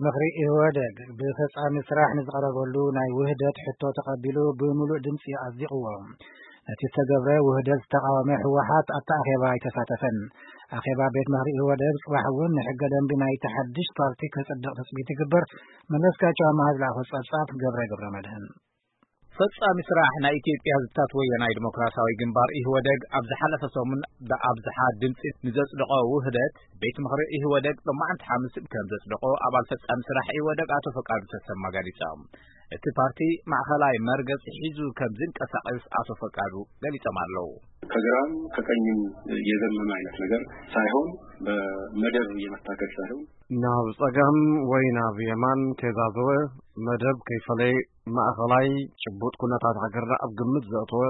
ምኽሪ ኢህወደግ ብፈጻሚ ስራሕ ንዝቐረበሉ ናይ ውህደት ሕቶ ተቐቢሉ ብምሉእ ድምፂ ኣጽዲቕዎ። ነቲ ዝተገብረ ውህደት ዝተቓወመ ህወሓት ኣብቲ ኣኼባ ኣይተሳተፈን። ኣኼባ ቤት ምኽሪ ኢህወደግ ጽባሕ እውን ንሕገ ደንቢ ናይቲ ሓድሽ ፓርቲ ክጽድቕ ትጽቢት ይግበር። መለስካቸው ኣማሃ ዝለኣኾ ጸብጻብ ገብረ ገብረ መድህን። ፈጻሚ ስራሕ ናይ ኢትዮጵያ ህዝብታት ወያናይ ዲሞክራሲያዊ ግንባር ኢህወደግ ኣብ ዝሓለፈ ሰሙን ብኣብዝሓ ድምፂ ንዘጽደቆ ውህደት ቤት ምኽሪ ኢህወደግ ሎማዓንቲ ሓሙስ ከም ዘጽደቆ ኣባል ፈጻሚ ስራሕ ኢህወደግ ኣቶ ፈቃዱ ተሰማ ገሊጾም። እቲ ፓርቲ ማእኸላይ መርገጽ ሒዙ ከም ዝንቀሳቐስ ኣቶ ፈቃዱ ገሊጾም ኣለዉ። ከግራም ከቀኝም የዘመመ አይነት ነገር ሳይሆን በመደብ የመታገል ሳይሆን ናብ ጸጋም ወይ ናብ የማን ከይዛዘወ መደብ ከይፈለየ ማእኸላይ ጭቡጥ ኩነታት ሃገርና ኣብ ግምት ዘእተወ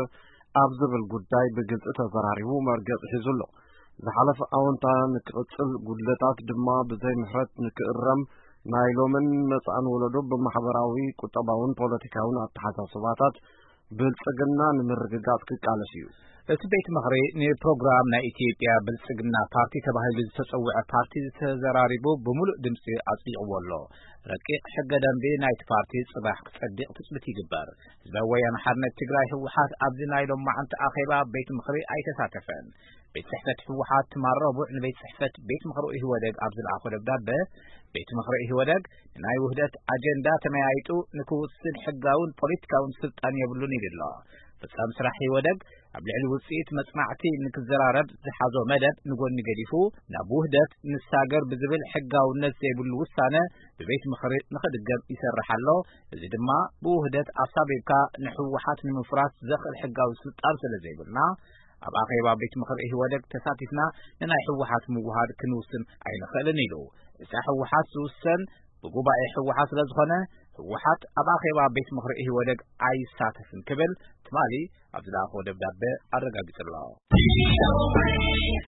ኣብ ዝብል ጉዳይ ብግልጺ ተዘራሪቡ መርገጽ ሒዙ ኣሎ። ዝሓለፈ ኣወንታ ንክቕጽል ጉድለታት ድማ ብዘይ ምሕረት ንክእረም ናይ ሎምን መጻእን ወለዶ ብማሕበራዊ፣ ቁጠባውን ፖለቲካውን ኣተሓሳስባታት ብልጽግና ንምርግጋጽ ክቃለስ እዩ። እቲ ቤት ምኽሪ ንፕሮግራም ናይ ኢትዮጵያ ብልጽግና ፓርቲ ተባሂሉ ዝተጸውዐ ፓርቲ ዝተዘራሪቡ ብምሉእ ድምፂ ኣጽዲቕዎ ኣሎ። ረቂቕ ሕገ ደንቢ ናይቲ ፓርቲ ጽባሕ ክጸድቕ ትጽቢት ይግበር። ህዝባዊ ወያነ ሓርነት ትግራይ ህወሓት ኣብዚ ናይ ሎማዓንቲ ኣኼባ ቤት ምኽሪ ኣይተሳተፈን። ቤት ጽሕፈት ህወሓት ትማል ረቡዕ ንቤት ጽሕፈት ቤት ምኽሪ ኢህወደግ ኣብ ዝለኣኾ ደብዳበ ቤት ምኽሪ ኢህወደግ ንናይ ውህደት ኣጀንዳ ተመያይጡ ንክውስን ሕጋውን ፖለቲካውን ስልጣን የብሉን ኢሉ ኣሎ። ፈጻሚ ስራሕ ኢህወደግ ኣብ ልዕሊ ውጽኢት መጽናዕቲ ንክዘራረብ ዝሓዞ መደብ ንጎኒ ገዲፉ ናብ ውህደት ንሳገር ብዝብል ሕጋውነት ዘይብሉ ውሳነ ብቤት ምኽሪ ንኽድገም ይሰርሕ ኣሎ። እዚ ድማ ብውህደት ኣሳቢብካ ንህወሓት ንምፍራስ ዘኽእል ሕጋዊ ስልጣን ስለ ዘይብልና ኣብ ኣኼባ ቤት ምኽሪ ኢህወደግ ተሳቲፍና ንናይ ህወሓት ምውሃድ ክንውስን ኣይንኽእልን ኢሉ። እዛ ህወሓት ዝውሰን ብጉባኤ ህወሓት ስለ ዝኾነ ህወሓት ኣብ ኣኼባ ቤት ምኽሪ ኢህወደግ ኣይሳተፍን ክብል ትማሊ ኣብ ዝለኣኾ ደብዳበ ኣረጋጊጹ ኣሎ።